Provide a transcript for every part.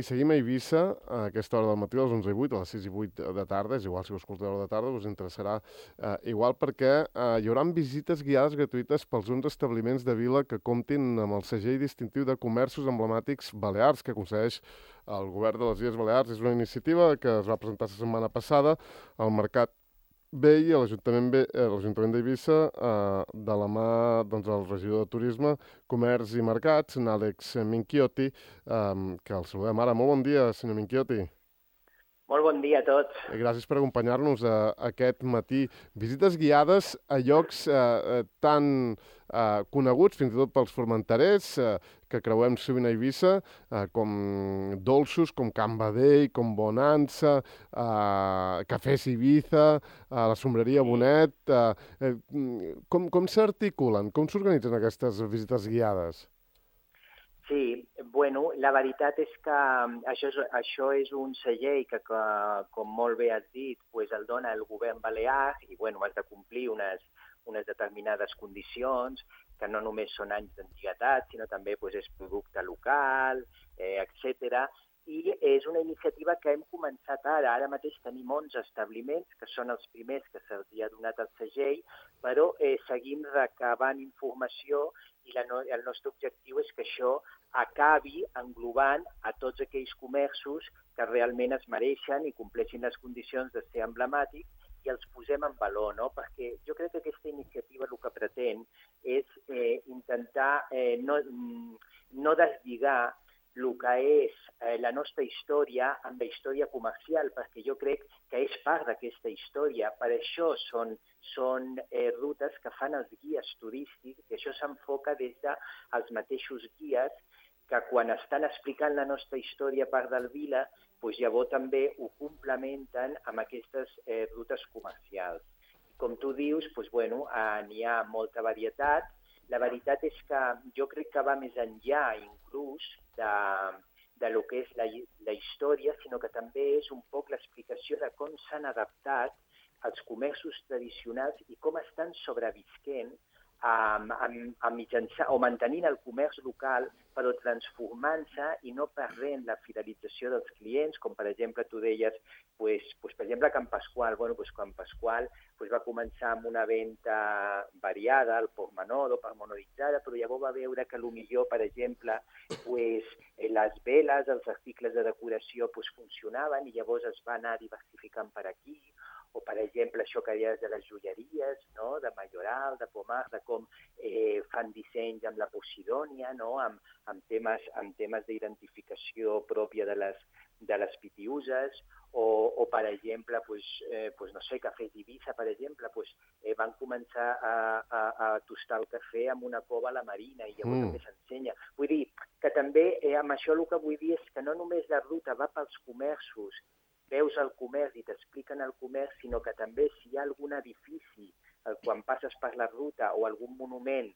I seguim a Eivissa a aquesta hora del matí, a les 11:08, a les 6:08 de tarda, és igual si ho escolteu a l'hora de tarda, us interessarà igual perquè hi haurà visites guiades gratuïtes pels 11 establiments de vila que comptin amb el segell distintiu de comerços emblemàtics balears que concedeix el govern de les Illes Balears. És una iniciativa que es va presentar la setmana passada al Mercat Vell i a l'Ajuntament d'Eivissa de la mà del regidor de Turisme, Comerç i Mercats, Àlex Minchiotti, que el saludem ara. Molt bon dia, senyor Minchiotti. Molt bon dia a tots. Gràcies per acompanyar-nos aquest matí. Visites guiades a llocs tan coneguts, fins i tot pels formenterers, que creuem sovint a Eivissa, com dolços, com Can Badell, com Bonanza, Cafès Ibiza, la Sombreria Bonet. Com s'articulen? Com s'organitzen aquestes visites guiades? Sí, bueno, la veritat és que això és un segell que com molt bé has dit, pues el dona el govern balear i bueno, has de complir unes determinades condicions, que no només són anys d'antiguitat, sinó també pues, és producte local, etc. I és una iniciativa que hem començat ara. Ara mateix tenim 11 establiments, que són els primers que se'ls ha donat el segell, però seguim recabant informació i el nostre objectiu és que això acabi englobant a tots aquells comerços que realment es mereixen i compleixin les condicions de ser emblemàtics i els posem en valor, no? Perquè jo crec que aquesta iniciativa el que pretén és intentar no deslligar el que és la nostra història amb la història comercial, perquè jo crec que és part d'aquesta història. Per això són rutes que fan els guies turístics, i això s'enfoca des dels mateixos guies que quan estan explicant la nostra història a part del Vila, doncs llavors també ho complementen amb aquestes rutes comercials. I com tu dius, doncs, bueno, n'hi ha molta varietat. La veritat és que jo crec que va més enllà inclús de lo que és la història, sinó que també és un poc l'explicació de com s'han adaptat els comerços tradicionals i com estan sobrevisquent o mantenint el comerç local, però transformant-se i no perdent la fidelització dels clients, com per exemple tu deies, per exemple Can Pasqual. Can Pasqual va començar amb una venda variada, al portmenor o pormenoritzada, però llavors va veure que potser, per exemple, les veles, els articles de decoració funcionaven i llavors es va anar diversificant per aquí. O, per exemple, això que deies de les joieries, no? De Majoral, de Pomar, de com fan dissenys amb la Posidònia, no? amb temes d'identificació pròpia de les pitiuses, o per exemple, no sé, Cafès Ibiza, per exemple, van començar a tostar el cafè amb una cova a la marina i llavors també s'ensenya. Vull dir que també amb això el que vull dir és que no només la ruta va pels comerços, veus el comerç i t'expliquen el comerç, sinó que també si hi ha algun edifici quan passes per la ruta o algun monument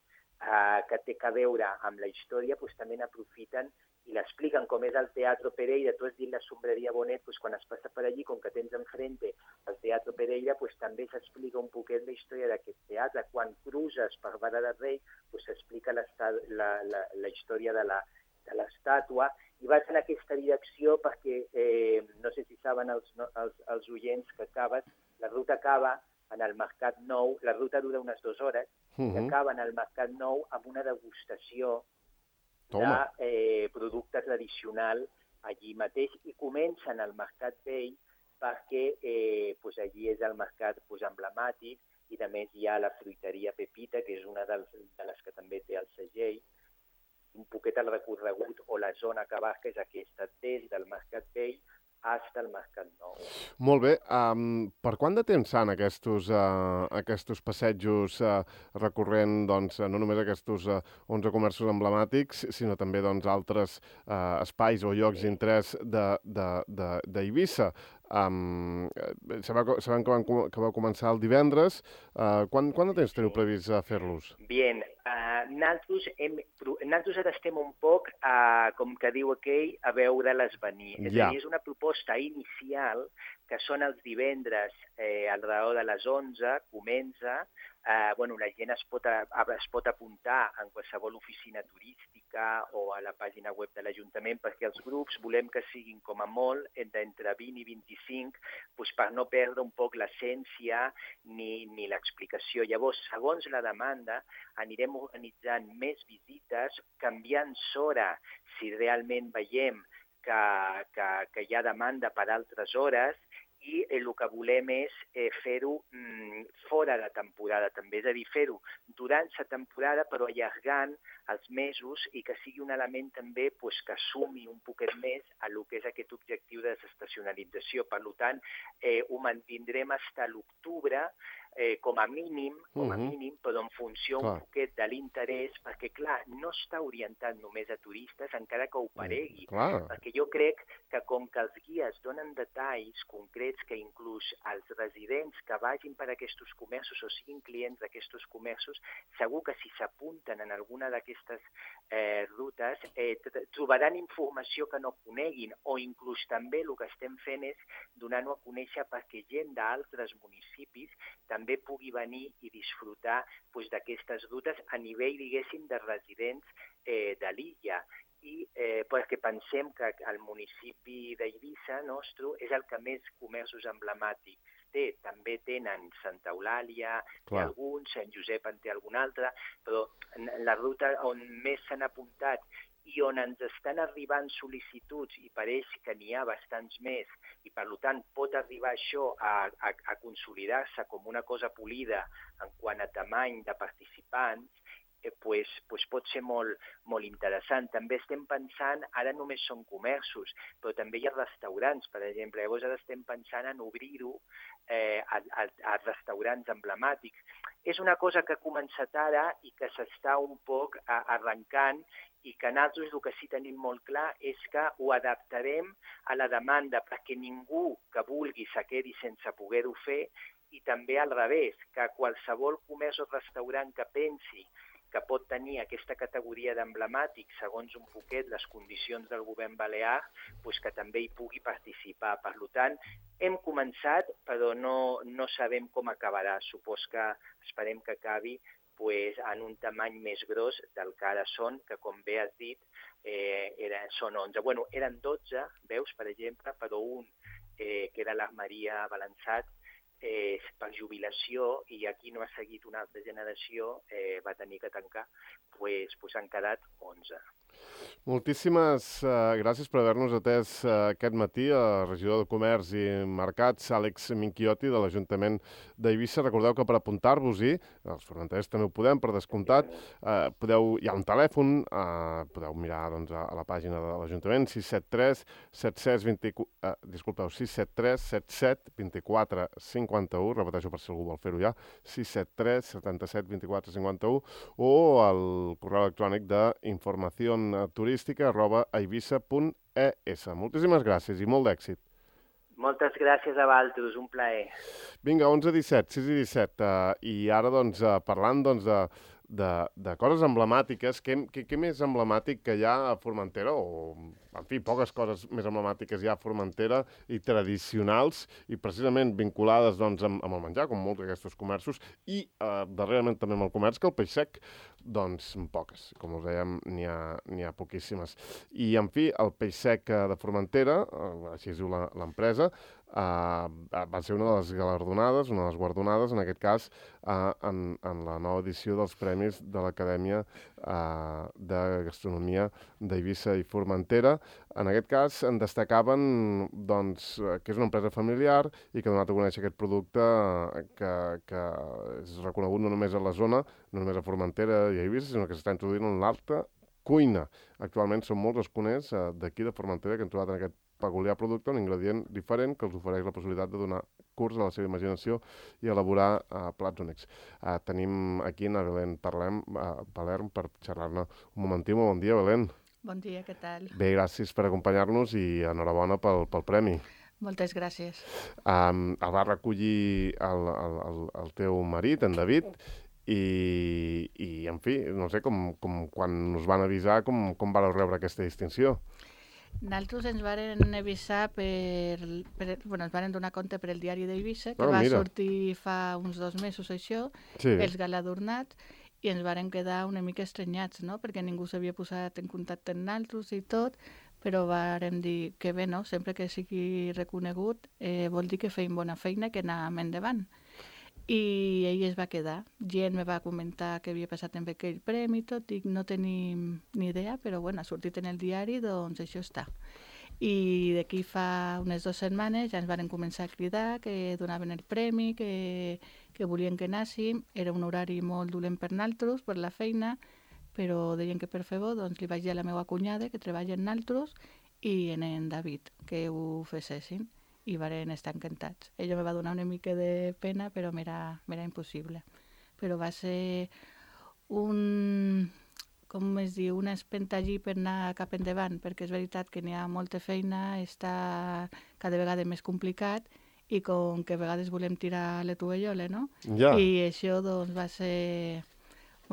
que té a veure amb la història, també n'aprofiten i l'expliquen, com és el Teatro Pereira. Tu has dit la Sombreria Bonet, quan es passa per allí, com que tens enfrente el Teatro Pereira, també s'explica un poquet la història d'aquest teatre. Quan cruces per Vara de Rei, s'explica la història de l'estàtua, i vaig en aquesta direcció perquè, no sé si saben els oients que la ruta acaba en el Mercat Nou, la ruta dura unes 2 hores, i acaba en el Mercat Nou amb una degustació de producte tradicional allí mateix, i comencen al Mercat Vell perquè allí és el mercat emblemàtic, i a més hi ha la fruiteria Pepita, que és una de les que també té el segell. Un poquet el recorregut o la zona que abarca és aquesta, des del Mercat Vell fins al Mercat Nou. Molt bé. Per quant de temps fan aquests passejos recorrent no només aquests 11 comerços emblemàtics, sinó també altres espais o llocs d'interès d'Eivissa? Sabem que va començar el divendres. Quant de temps teniu previst fer-los? Bien, nosaltres ara estem un poc, com que diu aquell, a veure-les venir. És a dir, és una proposta inicial que són els divendres al redor de les 11, comença, la gent es pot apuntar en qualsevol oficina turística o a la pàgina web de l'Ajuntament, perquè els grups volem que siguin com a molt d'entre 20 i 25, per no perdre un poc l'essència ni l'explicació. Llavors, segons la demanda, anirem organitzant més visites, canviant s'hora si realment veiem que hi ha demanda per altres hores, i el que volem és fer-ho fora de temporada també, és a dir, fer-ho durant la temporada però allargant els mesos i que sigui un element també que sumi un poquet més a lo que és aquest objectiu de desestacionalització. Per tant, ho mantindrem fins a l'octubre com a mínim, però en funció un poquet de l'interès, perquè, clar, no està orientat només a turistes, encara que ho paregui, perquè jo crec que com que els guies donen detalls concrets que inclús els residents que vagin per aquests comerços o siguin clients d'aquests comerços, segur que si s'apunten en alguna d'aquestes rutes trobaran informació que no coneguin, o inclús també el que estem fent és donar-ho a conèixer perquè gent d'altres municipis també pugui venir i disfrutar d'aquestes rutes a nivell, diguéssim, de residents de l'illa. I perquè pensem que el municipi d'Eivissa nostre és el que més comerços emblemàtics té. També tenen Santa Eulàlia, té alguns, Sant Josep en té algun altre, però la ruta on més s'han apuntat i on ens estan arribant sol·licituds i pareix que n'hi ha bastants més i per tant pot arribar això a consolidar-se com una cosa polida en quant a tamany de participants, pot ser molt interessant. També estem pensant, ara només són comerços, però també hi ha restaurants, per exemple. Llavors ara estem pensant en obrir-ho a restaurants emblemàtics. És una cosa que ha començat ara i que s'està un poc arrencant i que nosaltres el que sí tenim molt clar és que ho adaptarem a la demanda perquè ningú que vulgui se quedi sense poder-ho fer i també al revés, que qualsevol comerç o restaurant que pensi que pot tenir aquesta categoria d'emblemàtic segons un poquet les condicions del govern balear, que també hi pugui participar. Per tant, hem començat, però no sabem com acabarà. Supos que esperem que acabi en un tamany més gros del que ara són, que com bé has dit, són 11. Eren 12, veus, per exemple, però un, que era l'Armeria Balançat, per jubilació, i aquí no ha seguit una altra generació, va tenir que tancar, han quedat 11. Moltíssimes gràcies per haver-nos atès aquest matí a regidor de Comerç i Mercats, Àlex Minchiotti, de l'Ajuntament d'Eivissa. Recordeu que per apuntar-vos-hi, els formenterers també ho podem, per descomptat, hi ha un telèfon, podeu mirar a la pàgina de l'Ajuntament, 673 77 24 51, repeteixo per si algú vol fer-ho ja, 673 77 24 51, o el correu electrònic d'informacionturística@eivissa.es. Moltíssimes gràcies i molt d'èxit. Moltes gràcies a vosaltres, un plaer. Vinga, 11:17, 6:17. I ara, parlant de coses emblemàtiques, què més emblemàtic que hi ha a Formentera, o, en fi, poques coses més emblemàtiques hi ha a Formentera i tradicionals i precisament vinculades amb el menjar, com molts d'aquests comerços, i darrerament també amb el comerç, que el peix sec, poques. Com us dèiem, n'hi ha poquíssimes. I, en fi, el peix sec de Formentera, així es diu l'empresa, va ser una de les galardonades, una de les guardonades, en aquest cas, en la nova edició dels Premis de l'Acadèmia de Gastronomia d'Eivissa i Formentera. En aquest cas, en destacaven que és una empresa familiar i que ha donat a conèixer aquest producte que és reconegut no només a la zona, no només a Formentera i a Eivissa, sinó que s'està introduint en l'alta cuina. Actualment són molts els cuiners d'aquí de Formentera que han trobat en aquest peculiar producte un ingredient diferent que els ofereix la possibilitat de donar curs a la seva imaginació i elaborar plats únics. Tenim aquí a Belén Palerm per xerrar-ne un momentiu. Bon dia, Belén. Bon dia, què tal? Bé, gràcies per acompanyar-nos i enhorabona pel premi. Moltes gràcies. El va recollir el teu marit, en David, i en fi, no sé, quan us van avisar, com vareu rebre aquesta distinció? Nosaltres ens varen avisar ens varen donar compte per el diari d'Eivissa, que va mira. sortir fa uns 2 mesos això, Sí. els galardonats, i ens varen quedar una mica estrenyats, no? Perquè ningú s'havia posat en contacte amb nosaltres i tot, però vàrem dir que bé, no? Sempre que sigui reconegut vol dir que feim bona feina, que anàvem endavant. I ell es va quedar. Gent me va comentar què havia passat amb aquell premi i tot, dic, no tenim ni idea, però bueno, ha sortit en el diari, doncs això està. I d'aquí fa unes 2 setmanes ja ens varen començar a cridar que donaven el premi, que volien que anàssim. Era un horari molt dolent per nosaltres, per la feina, però deien que per fer bo, doncs li vaig dir a la meva cunyada, que treballa en nosaltres, i en David, que ho fessin. I varen estar encantats. Ella me va donar una mica de pena, però m'era impossible. Però va ser com es diu, una espenta allí per anar cap endavant, perquè és veritat que n'hi ha molta feina, està cada vegada més complicat, i com que a vegades volem tirar la tovallola, no? Ja. I això, doncs, va ser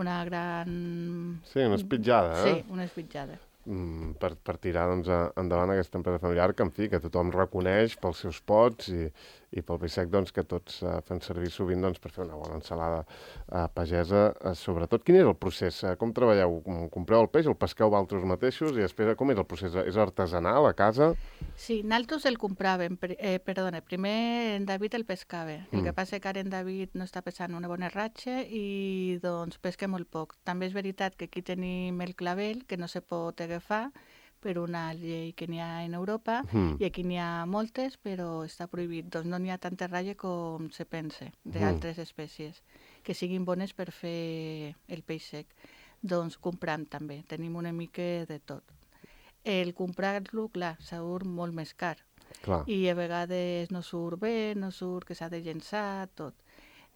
una gran... Sí, una espitjada, Sí, una espitjada. Per tirar doncs, endavant aquesta empresa familiar que, en fi, que tothom reconeix pels seus pots i pel peix sec doncs, que tots fem servir sovint doncs, per fer una bona ensalada pagesa. Sobretot, quin és el procés? Com treballeu? Compreu el peix, el pesqueu vosaltres mateixos i després com és el procés? És artesanal a casa? Sí, nosaltres el compràvem. Primer en David el pescava. El que passa que ara en David no està pesant una bona ratxa i doncs pesca molt poc. També és veritat que aquí tenim el clavel, que no se pot agafar per una llei que n'hi ha en Europa, i aquí n'hi ha moltes, però està prohibit. Doncs no n'hi ha tanta ratlla com se pensa d'altres espècies, que siguin bones per fer el peix sec. Doncs compram també, tenim una mica de tot. El comprar-lo, clar, surt molt més car. Clar. I a vegades no surt bé, no surt que s'ha de llençar, tot.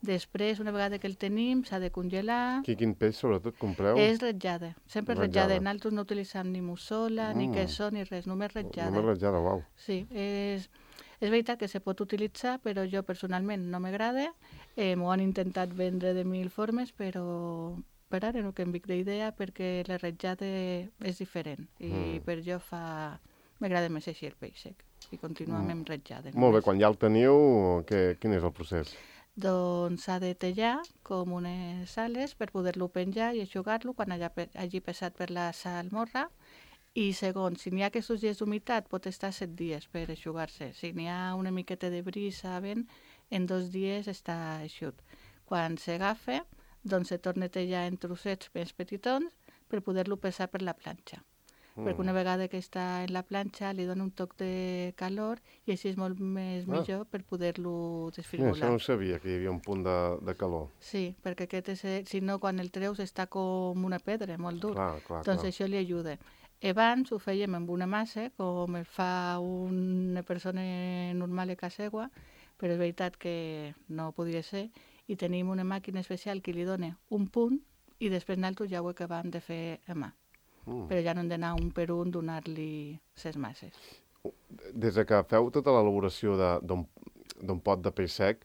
Després, una vegada que el tenim, s'ha de congelar. Quin peix, sobretot, compreu? És ratllada, sempre ratllada. Nosaltres no utilitzem ni mussola, ni queso, ni res, només ratllada. Només ratllada, uau. Sí, és veritat que se pot utilitzar, però jo personalment no m'agrada. M'ho han intentat vendre de 1000 formes, però per ara no canvic d'idea perquè la ratllada és diferent. I per jo m'agrada més així el peix sec. I continuem amb ratllada. Molt bé, quan ja el teniu, quin és el procés? Doncs s'ha de tallar com unes ales per poder-lo penjar i eixugar-lo quan hagi passat per la salmorra. I segons, si n'hi ha aquests dies d'humitat, pot estar 7 dies per eixugar-se. Si n'hi ha una miqueta de brisa, vent, en 2 dies està eixut. Quan s'agafa, doncs se torna a tallar en trossets més petitons per poder-lo passar per la planxa. Perquè una vegada que està en la planxa li dona un toc de calor i així és molt més millor per poder-lo desfigurar. Això no sabia, que hi havia un punt de calor. Sí, perquè si no, quan el treus està com una pedra, molt dur. Clar, doncs això li ajuda. Abans ho fèiem amb una massa, com el fa una persona normal a casa seva, però és veritat que no podria ser, i tenim una màquina especial que li dona un punt i després nosaltres ja ho acabem de fer a mà. Però ja no hem d'anar un per un donar-li ses masses. Des que feu tota l'elaboració d'un pot de peix sec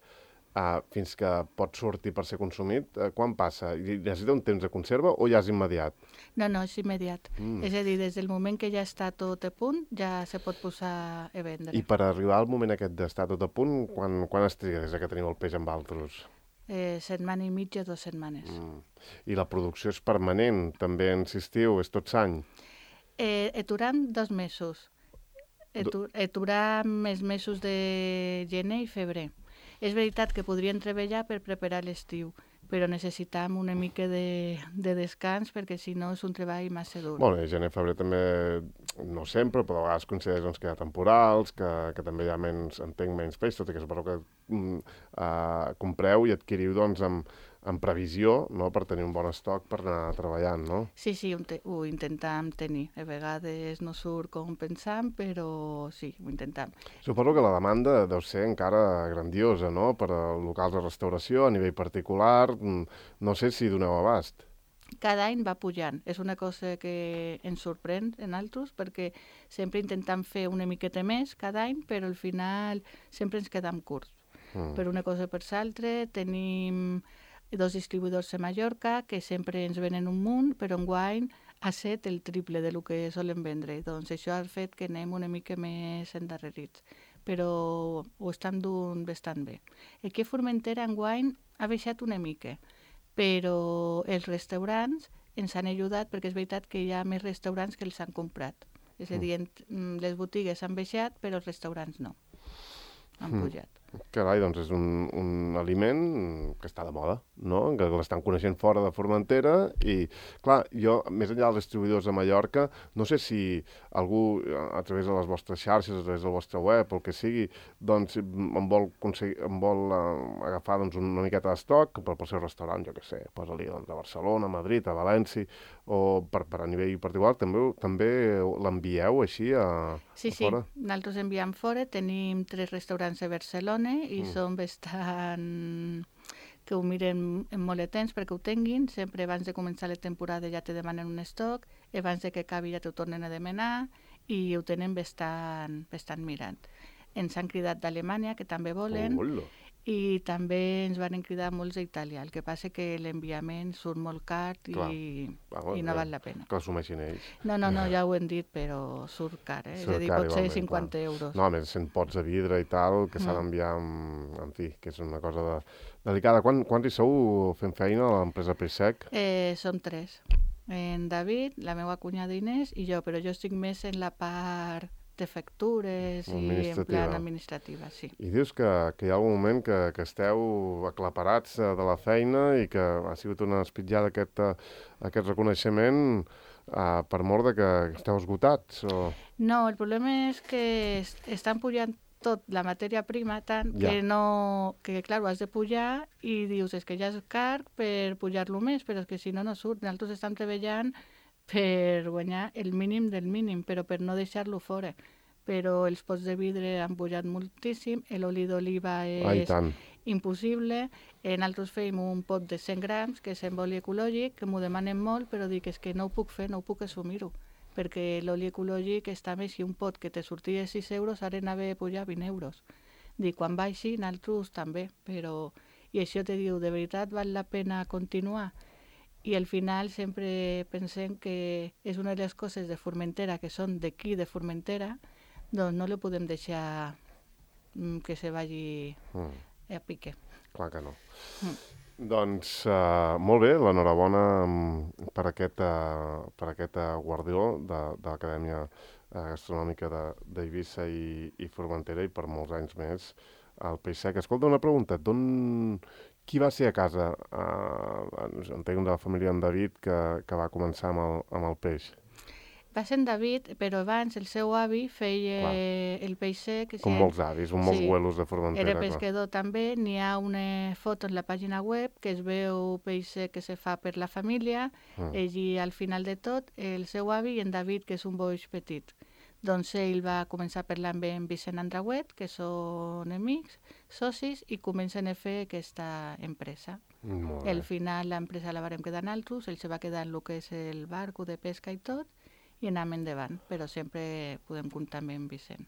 fins que pot sortir per ser consumit, quan passa? Necessita un temps de conserva o ja és immediat? No, és immediat. És a dir, des del moment que ja està tot a punt, ja se pot posar a vendre. I per arribar al moment aquest d'estar tot a punt, quan es triga des que teniu el peix amb altres? Setmana i mitja, 2 setmanes. I la producció és permanent, també insistiu, és tot l'any? Aturam 2 mesos. Aturam els mesos de gener i febrer. És veritat que podríem treballar per preparar l'estiu, però necessitam una mica de descans perquè si no és un treball massa dur. Bueno, gener i febrer també, no sempre, però a vegades coincideix doncs, que hi ha temporals, que també hi ha menys peix, tot i que suposo que compreu i adquiriu doncs, amb previsió, no?, per tenir un bon estoc per anar treballant, no? Sí, ho intentam tenir. A vegades no surt com pensam, però sí, ho intentam. Suposo que la demanda deu ser encara grandiosa, no?, per a locals de restauració, a nivell particular. No sé si doneu abast. Cada any va pujant. És una cosa que ens sorprèn en altres, perquè sempre intentem fer una miqueta més cada any, però al final sempre ens quedam curts. Per una cosa per l'altra, tenim 2 distribuïdors a Mallorca que sempre ens venen un munt, però enguany ha set el triple de lo que solen vendre. Doncs això ha fet que anem una mica més endarrerits, però ho estan duent bastant bé. Aquí a Formentera enguany ha baixat una mica, però els restaurants ens han ajudat perquè és veritat que hi ha més restaurants que els han comprat. És a dir, les botigues han baixat, però els restaurants no. Han pujat. Carai, doncs és un aliment que està de moda, no? Que l'estan coneixent fora de Formentera i, clar, jo, més enllà dels distribuïdors de Mallorca, no sé si algú, a través de les vostres xarxes, a través del vostre web, o el que sigui, doncs em vol agafar doncs, una miqueta d'estoc pel seu restaurant, jo què sé, posa-li doncs, a Barcelona, a Madrid, a València, o a nivell particular, també l'envieu així a fora? Sí, nosaltres enviem fora, tenim 3 restaurants a Barcelona i són bastant que ho miren en molt de temps perquè ho tinguin, sempre abans de començar la temporada ja te demanen un estoc, abans de que acabi ja t'ho tornen a demanar i ho tenen bastant mirant. Ens han cridat d'Alemanya, que també volen, i també ens van cridar molts d'Itàlia. El que passa que l'enviament surt molt car i no val la pena. Que l'assumeixin ells. No, ja ho hem dit, però surt car, eh? És a dir, pot ser 50 euros. No, a més, 100 pots de vidre i tal, que s'ha d'enviar, en fi, que és una cosa delicada. Quants hi sou fent feina a l'empresa Peix Sec? Som 3. En David, la meva cunyada Inés i jo, però jo estic més en la part de factures i en plan administrativa, sí. I dius que hi ha algun moment que esteu aclaparats de la feina i que ha sigut una espitllada aquest reconeixement per mort de que esteu esgotats? O... No, el problema és que estan pujant tot la matèria prima tant que clar, ho has de pujar i dius, és que ja és car per pujar-lo més, però és que si no surt. Nosaltres estem treballant per guanyar el mínim del mínim, però per no deixar-lo fora. Però els pots de vidre han pujat moltíssim, l'oli d'oliva és impossible. Nosaltres fèiem un pot de 100 grams, que és amb oli ecològic, que m'ho demanen molt, però dic, és que no ho puc fer, no ho puc assumir-ho, perquè l'oli ecològic està més que un pot que te sortia 6 euros, ara anava a pujar 20 euros. Dic, quan baixi, nosaltres també, però... I això te diu, de veritat val la pena continuar? I al final sempre pensem que és una de les coses de Formentera que són d'aquí, de Formentera, doncs no li podem deixar que se vagi a pique. Clar que no. Doncs molt bé, l'enhorabona per aquest guardió de l'Acadèmia Gastronòmica d'Eivissa i Formentera i per molts anys més al Peix Sec. Escolta, una pregunta, qui va ser a casa? Entenc de la família en David que va començar amb el peix. Va ser en David, però abans el seu avi feia el peix sec. Com molts avis, molts abuelos de Formentera. Era pescador també. N'hi ha una foto en la pàgina web que es veu peix sec que se fa per la família. I al final de tot, el seu avi i en David, que és un boix petit. Doncs ell va començar a parlar amb en Vicent Andrauet, que són amics, socis, i comencen a fer aquesta empresa. Al final l'empresa la vàrem quedar nosaltres, ell se va quedar en el que és el barco de pesca i tot, i anem endavant, però sempre podem comptar amb en Vicent.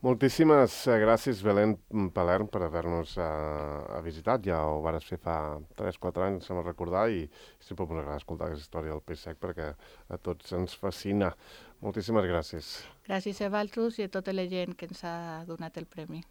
Moltíssimes gràcies, Belén Palerm, per haver-nos visitat. Ja ho vares fer fa 3-4 anys, se m'ha recordar, i sempre m'agrada escoltar aquesta història del peix sec perquè a tots ens fascina. Moltíssimes gràcies. Gràcies a vosaltres i a tota la gent que ens ha donat el premi.